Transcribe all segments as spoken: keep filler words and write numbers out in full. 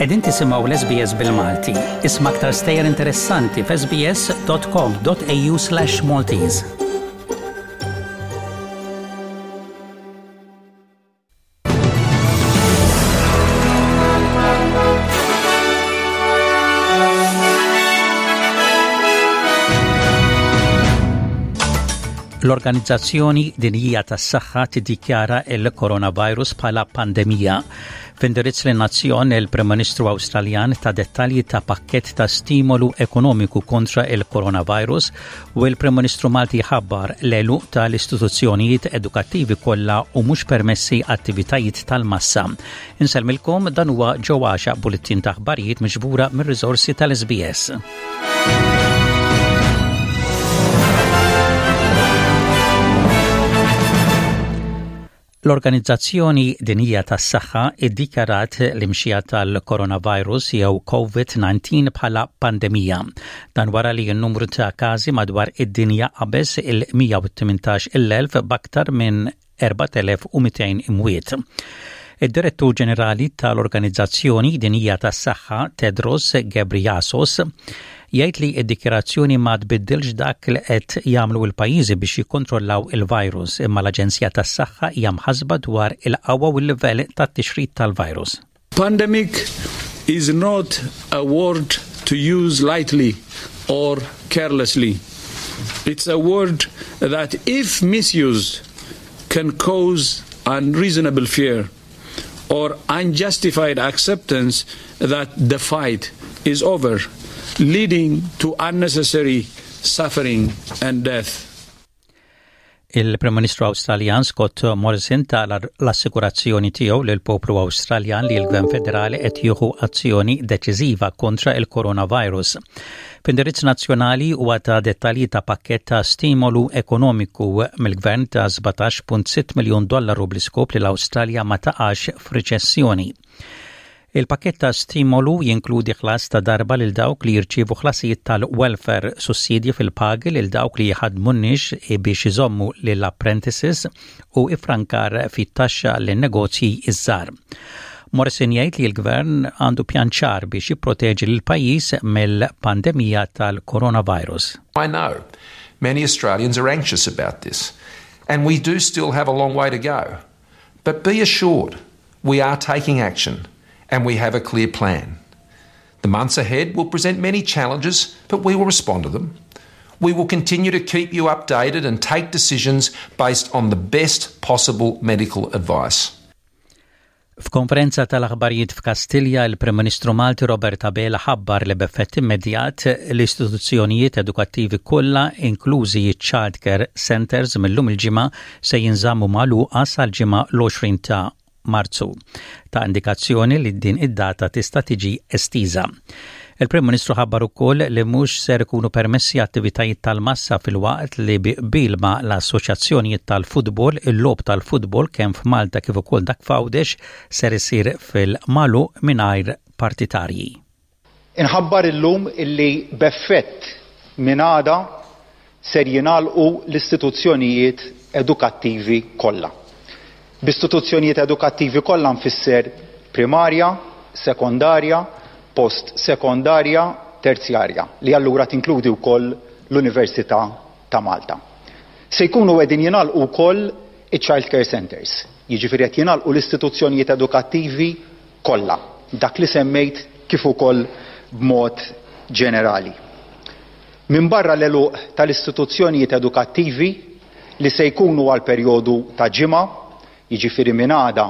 Qegħdin tisimgħu l-S B S bil-Malti. Isma' aktar stejjer interessanti f'S B S dot com dot A U slash Maltese. L-Organizzazzjoni Dinjija tas-Saħħa tiddikjara il-coronavirus bħala pandemija. F'indirizz lin-nazzjon, il-Prim Ministru Awstraljan ta dettalji ta' pakket ta' stimolu ekonomiku kontra il-coronavirus u il-Prim Ministru Malti ħabbar l-għeluq tal-istituzzjonijiet edukattivi kollha u mhux permessi attivitajiet tal-massa. Insellmilkom, dan huwa ġewwaxa bulletin ta' aħbarijiet miġbura mir-riżorsi tal-S B S. L-Organizzazzjoni Dinjija tas-Saħħa iddikjarat l-imxija tal-coronavirus jew COVID nineteen bħala pandemija. Dan wara li n-numru ta' każi madwar id-dinja qabeż il-mija u tmintax-il elf b'aktar minn erbat elef u mitejn imwiet. Id-Direttur Ġenerali tal-Organizzazzjoni Dinjija tas-Saħħa, Tedros Ghebreyesus, jgħid li d-dikjarazzjoni ma tbiddilx dak li qed jagħmlu l-pajjiżi biex jikkontrollaw il-virus, imma l-Aġenzija tas-Saħħa hija mħasba dwar il-qawwa u l-livell tat-tixrid tal-virus. Pandemic is not a word to use lightly or carelessly. It's a word that, if misused, can cause unreasonable fear or unjustified acceptance that the fight is over, leading to unnecessary suffering and death. Il-Prim Ministru Awstraljan Scott Morrison ta l-assikurazzjoni tiegħu lil poplu Awstraljan li l-Gvern Federali qed jieħu azzjoni deċiżiva kontra il-coronavirus. F'indirizz nazzjonali huwa ta dettalji ta' pakket ta' stimolu ekonomiku mill-gvern ta' sbatax punt sitta miljun dollaru bl-iskop li l-Awstralja ma taqax f'riċessjoni. Il-pakket ta' stimolu jinkludi ħlas ta' darba lil dawk li jirċievu ħlasijiet tal-welfare, sussidji fil-pagi lil dawk li jħadmu nies biex iżommu lil apprentices u ifrankar fit-taxxa lin negozji iż-żgħar. Morrison jgħid li l-gvern għandu pjan ċar biex jipproteġi lil pajjiż mill-pandemija tal-coronavirus. I know many Australians are anxious about this, and we do still have a long way to go. But be assured, we are taking action and we have a clear plan. The months ahead will present many challenges, but we will respond to them. We will continue to keep you updated and take decisions based on the best possible medical advice. F'konferenza tal-aħbarijiet f'Kastilja, il-Prim Ministru Malti Robert Abela ħabbar li b'effett immedjat l-istituzzjonijiet edukattivi kollha, inklużi child care centers, mill-lum il-Ġimgħa se jinżammu magħluqa sal-Ġimgħa l-għoxrin ta' Marzu. Ta indikazzjoni li din id-data tista' tiġi estiża. Il-Prim Ministru ħabbar ukoll li mhux ser ikunu permessi attivitajiet tal-massa, filwaqt li bi qbil ma' l-assoċjazzjonijiet tal-futbol, il-logħob tal-futbol kemm f'Malta kif ukoll dak f'Għawdex ser isir fil-magħluq mingħajr partitarji. Inħabbar illum illi b'effett minn għada ser jingħalqu l-istituzzjonijiet edukattivi kollha. B'istituzzjonijiet edukattivi kollha nfisser primarja, sekondarja, post sekondarja, terzjarja, li allura tinkludi wkoll l-Università ta' Malta. Se jkunu qegħdin jingħalqu wkoll iċ-child care centers, jiġifieri qed jingħalqu l-istituzzjonijiet edukattivi kollha, dak li semmejt kif ukoll b'mod ġenerali. Min barra l-għeluq tal-istituzzjonijiet edukattivi li se jkunu għal perjodu ta' ġimgħa, jiġifieri minn għada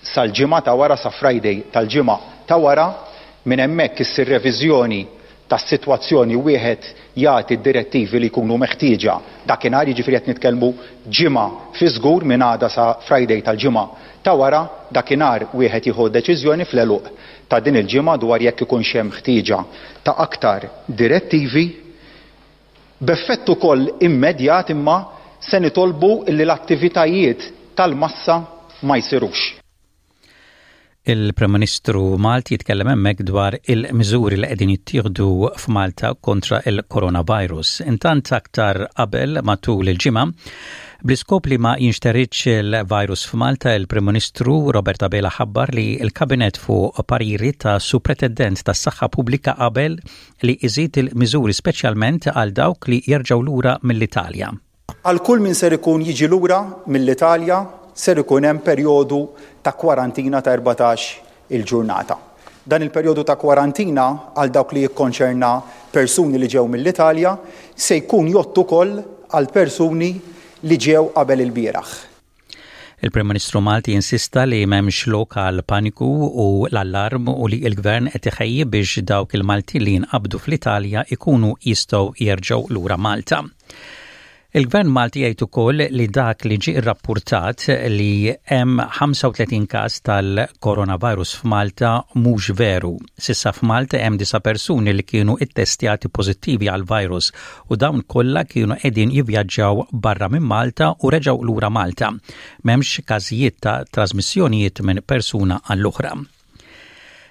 sal-ġimgħa ta' wara, sa Friday tal-ġimgħa ta' wara, minn hemmhekk issir reviżjoni tas-sitwazzjoni, wieħed jagħti d-direttivi li jkunu meħtieġa dakinhar, jiġifieri qed nitkellmu ġimgħa fi żgur, minn għada sa Friday tal-ġimgħa ta' wara. Dakinhar wieħed jieħu deċiżjoni fl-għeluq ta' din il-ġimgħa dwar jekk ikunx hemm ħtieġa ta' aktar direttivi. B'effett ukoll immedjat imma se nitolbu li l-attivitajiet tal-massa ma jsirux. Il-Prim Ministru Malti jitkellem hemmhekk dwar il-miżuri li qegħdin jittieħdu f'Malta kontra il-coronavirus. Intant, aktar qabel matul il-ġimgħa, Bl-iskop li ma jinxteridx il-virus f'Malta, il-Prim Ministru Robert Abela ħabbar li l-Kabinet fuq pariri ta' Supretendent tas-Saħħa Pubblika qabel li iżid il-miżuri, speċjalment għal dawk li jerġgħu lura mill-Italja. Għal kull min ser ikun jiġi lura mill-Italja, ser ikun hemm perjodu ta' kwarantina ta' erbatax il-ġurnata. Dan il-perjodu ta' kwarantina għal dawk li jikkonċerna persuni li ġew mill-Italja se jkun jgħodd ukoll għal persuni li ġew qabel il-bieraħ. Il-Prim Ministru Malti insista li m'hemmx lok għal paniku u l-allarm u li l-gvern qed iħejji biex dawk il-Malti li jinqabdu fl-Italja ikunu jistgħu jerġgħu lura Malta. Il-Gvern Malti jgħid ukoll li dak li ġie rrappurtat li hemm ħamsa u tletin każ tal-coronavirus f'Malta mhux veru. S'issa f'Malta hemm disa' persuni li kienu ittestjati pożittivi għal virus u dawn kollha kienu qegħdin jivvjaġġaw barra minn Malta u reġgħu lura Malta. M'hemmx każijiet ta' trasmissjonijiet minn persuna għall-oħra.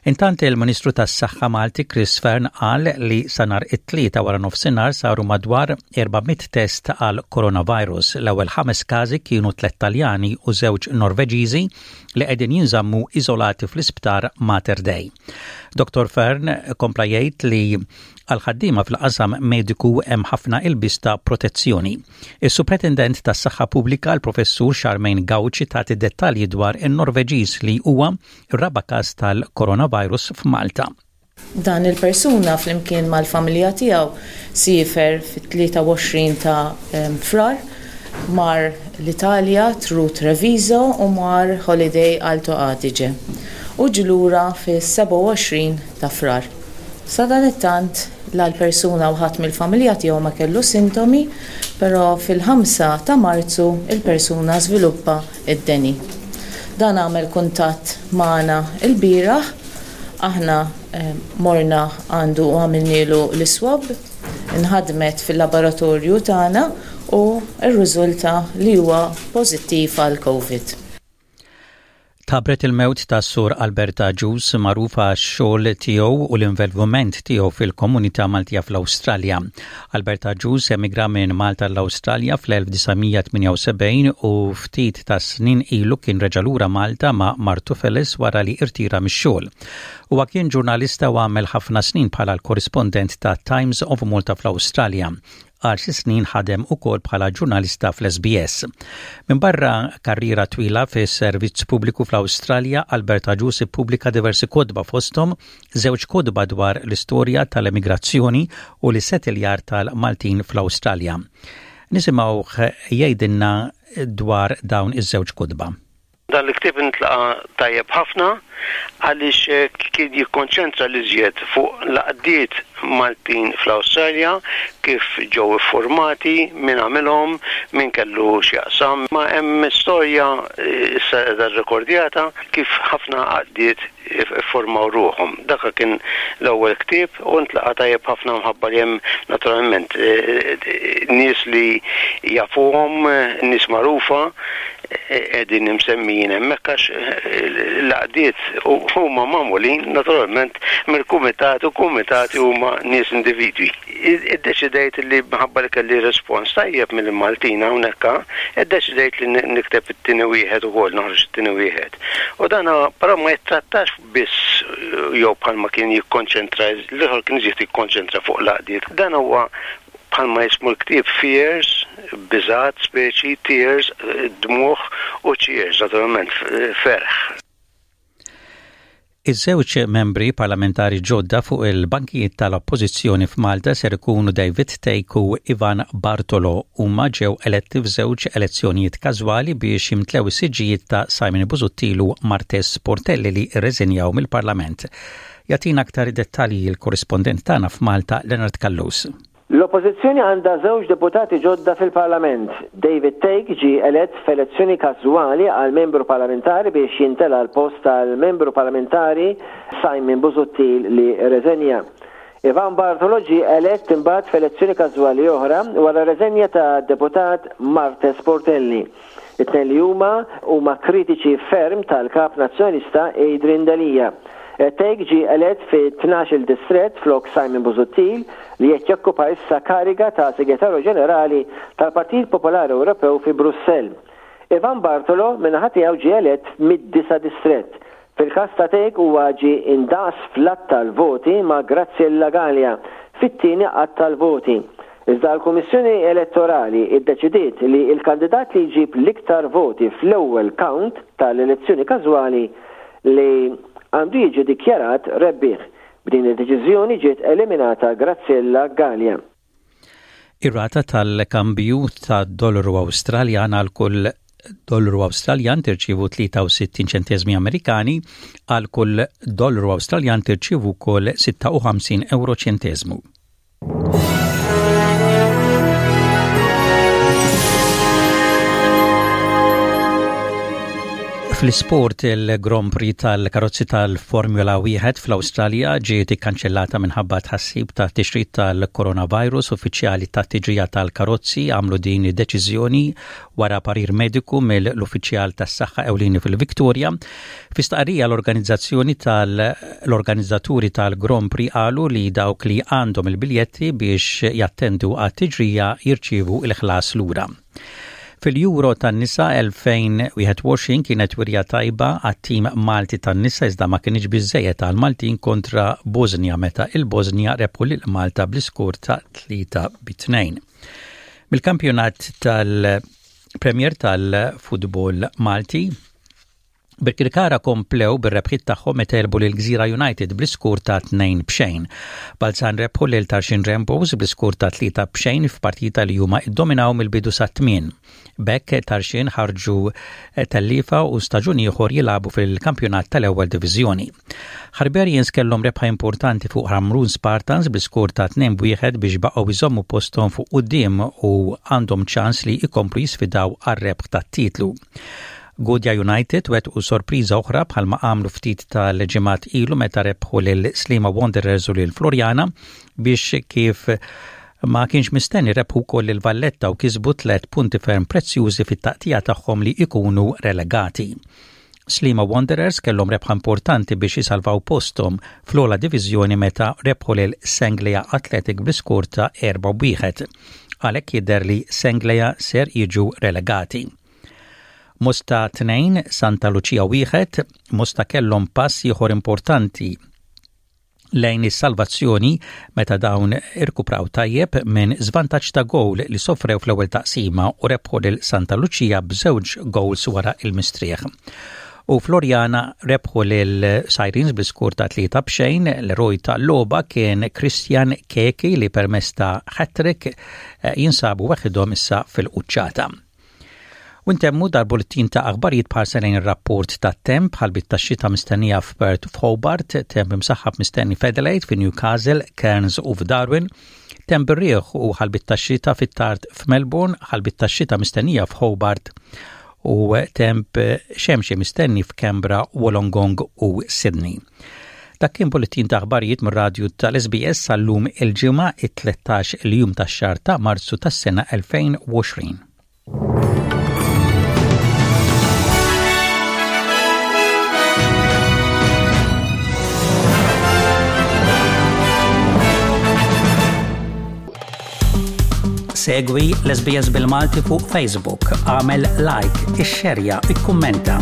Intant, il-Ministru tas-Saħħa Malti Chris Fearne qal li sa nhar it-Tlieta wara nofsinhar saru madwar erba' mitt test għal coronavirus. L-ewwel ħames każi kienu tliet Taljani u żewġ Norveġiżi li qegħdin jinżammu iżolati fl-isptar Mater Dei. Doktor Fearne kompla jgħid li għal ħaddiema fil-qasam mediku hemm ħafna ilbies ta' protezzjoni. Is-Supretendent tas-Saħħa Pubblika, l-Professur Charmaine Gauci, tagħti dettalji dwar in-Norveġiż li huwa r-raba' każ tal-coronavirus f'Malta. Dan il-persuna flimkien mal-familja tiegħu siefer fit-tlieta u għoxrin ta' Frar, mar l-Italja through Treviso u mar holiday Alto Adige. U ġie lura fis-sebgħa u għoxrin ta' Frar. Sadanittant la l-persuna u ħadd mill-familja tiegħu ma kellu sintomi, però fil-ħamsa ta' Marzu il-persuna żviluppa id-deni. Dan għamel kuntatt magħna il-bieraħ, aħna eh, morna għandu u għamilnilu l-swab, inħadmet fil-laboratorju tagħna u rriżulta li huwa pożittiv għal COVID. Tħabbret il-mewt ta' Sur Albert Agius, magħruf għax-xogħol tiegħu u l-involviment tiegħu fil-komunità Maltija fl-Awstralja. Albert Agius emigra minn Malta l-Awstralja fl-elf disa' mija tmienja u sebgħin u ftit ta' snin ilu kien reġa' lura Malta ma' martu Felis wara li irtira mix-xogħol. Huwa kien ġurnalista u għamel ħafna snin bħala l-korrispondent ta' Times of Malta fl-Awstralja. Għal xi snin ħadem ukoll bħala ġurnalista fl-S B S. Min barra karriera twila fis-servizz pubbliku fl-Awstralja, Albert Agius ippubblika diversi kotba, fosthom żewġ kotba dwar l-istorja tal-emigrazzjoni u l-settiljar tal-Maltin fl-Awstralja. Nisimgħu jgħidilna dwar dawn iż-żewġ kotba. Dan l-ktieb intlaqa tajjeb ħafna għaliex eh, kien jikkonċentra l-iżjed fuq l-għaqdiet Maltin fl-Awstralja, kif ġew iffurmati, min għamilhom, min kellu x'jaqsam. Ma hemm storja eh, issa qiegħda rrekordjata kif ħafna għaqdiet iffurmaw ruħhom. Dak kien l-ewwel ktieb u ntlaqa tajjeb ħafna mħabba li hemm naturalment eh, nies li jafuhom, nies magħrufa qegħdin imsemmijin hemmhekk, għax l-għaqdiet huma magħmulin naturalment mill-kumitat u kumitati huma nies, individwi. Iddeċidejt li, minħabba li kelli respons tajjeb mill-Maltin hawnhekk, iddeċidejt li nikteb it-tieni wieħed ukoll, noħroġ it-tieni wieħed. U dan però ma jittrattax biss jew bħalma kien jikkonċentra l-ieħor, kien iżjed jikkonċentra fuq l-għaqdiet. Dan huwa bħalma jismu l-ktieb, Fears, biżat, speċi, Tears, dmugħ, u Cheers, naturalment, ferħ. Iż-żewġ membri parlamentari ġodda fuq il-bankijiet tal-Oppożizzjoni f'Malta ser ikunu David Thake u Ivan Bartolo. Huma ġew eletti f'żewġ elezzjonijiet każwali biex jimtlew is-siġġijiet ta' Simon Busuttil u Marthese Portelli li rreżenjaw mill-Parlament. Jagħtina aktar dettalji il-korrispondent tagħna f'Malta, Leonard Callus. L-Oppożizzjoni għandha żewġ deputati ġodda fil-Parlament. David Thake ġi elett f'elezzjoni każwali għal membru parlamentari biex jimtela l-post tal-membru parlamentari Simon Busuttil li reżenja. Ivan Bartolo ġi elett imbagħad f'elezzjoni każwali oħra wara reżenja ta' deputat Marthese Portelli. It-tnejn li huma huma kritiċi ferm tal-kap nazzjonalista Adrian Delia. Thake ġie elett fi tnax-il distrett flok Simon Busuttil, li qed jokkupa issa kariga ta' Segretarju Ġenerali tal-Partit Popolari Ewropew fi Brussell. Ivan Bartolo min-naħa tiegħu ġie elett mid-disa' distrett. Fil-każ ta' Thake, huwa ġie indaqs fl-għadd tal-voti ma' Graziella Galea fit-tieni għadd tal-voti. Iżda l-Kummissjoni Elettorali iddeċidiet li l-kandidat li jġib l-iktar voti fl-ewwel count tal-elezzjoni każwali li għandu jiġi dikjarat rebbieħ. B'din id-deċiżjoni ġiet eliminata Graziella Galea. Ir-rata tal-kambju ta' dollaru Awstraljan: għal kull dollaru Awstraljan tirċievu tlieta u sittin ċentesmi Amerikani, għal kull dollaru Awstraljan tirċievu wkoll sitta u ħamsin euro ċentesmu. Fl-isport, il-Grand Prix tal-karozzi tal-Formula wieħed fl-Awstralja ġiet ikkanċellata minħabba tħassib ta' tixrid tal-coronavirus. Uffiċjali ta' tiġrija tal-karozzi għamlu din id-deċiżjoni wara parir mediku mill-uffiċjal tas-saħħa ewlieni fil-Victoria. Fi stqarrija, l-organizzazzjoni tal-organizzaturi tal-Grand Prix qalu li dawk li għandhom il-biljetti biex jattendu għat-tiġrija jirċievu il-ħlas lura. Fil-Euro tan-nisa elfejn u wieħed u għoxrin kienet wirja tajba għat-tim Malti tan-nisa, iżda ma kienx biżejjed għal Maltin kontra Bosnia meta il-Bosnia rebħu lil Malta bl-iskur ta' tlieta bi tnejn. Mill-kampjonat tal-Premier tal-Futbol Malti, Birkirkara komplew bir-rebħiet tagħhom meta għelbu lil Gżira United bl-iskur ta' tnejn b'xejn. Balzan rebħu lil Tarxien Rainbows bl-iskur ta' tlieta b'xejn f'partita li huma iddominaw mill-bidu sa tmien. B'hekk Tarxien ħarġu tellifa u staġun ieħor jilagħbu fil-kampjonat tal-ewwel diviżjoni. Hibernians kellhom rebħa importanti fuq Hamrun Spartans bl-iskur ta' tnejn b'wieħed biex baqgħu jżommu posthom fuq quddiem u għandhom ċans li jkomplu jisfidaw għar-rebħ tat-titlu. Gudja United wettqu sorpriża oħra, bħalma għamlu ftit tal-ġimgħat ilu meta rebħu lil Sliema Wanderers u lil Floriana, biex kif ma kienx mistenni rebħu wkoll il Valletta u kisbu tlet punti ferm prezzjużi fit-taqtija tagħhom li ikunu relegati. Sliema Wanderers kellhom rebħa importanti biex jisalvaw postom fl-ogħla diviżjoni meta rebħu lil Senglea Athletic bl-iskur ta' erba' wieħed. Għalhekk jidher li Senglea ser jiġu relegati. Mosta tnejn, Santa Lucia wieħed. Mosta kellhom pass ieħor importanti lejn is-salvazzjoni meta dawn irkupraw tajjeb minn żvantaġġ ta' gowl li sofrew fl-ewwel taqsima u rebħu lil Santa Lucia b'żewġ goals wara il-mistrieħ. U Floriana rebħu lil Sirens bl-iskur ta' tlieta b'xejn. L-eroj ta' logħba kien Christian Keki, li permezz ta' hat-trick eh, jinsabu waħedhom issa fil-quċċata. U ntemmu dal-bulletin ta' aħbarijiet b'ħarsa lejn ir-rapport ta' temp: ħalbiet ta' xita mistennija f'Perth, f'Hobart, temp imsaħħab mistenni f'Adelaide, fi Newcastle, Cairns u f'Darwin, temp bir-riħ u ħalbiet ta' xita fit-tard f'Melbourne, ħalbiet ta' xita mistennija f'Hobart u temp xemxi mistenni f'Canberra, Wollongong u Sydney. Dak kien bulletin ta' aħbarijiet mir-radju tal-S B S sal-lum, il-Ġimgħa, it-tlettax il-jum tax-xahar ta' Marzu tas-sena elfejn u għoxrin. Segwi l-S B S bil-Malti fuq Facebook, għamel like, ixxerja, ikkummenta.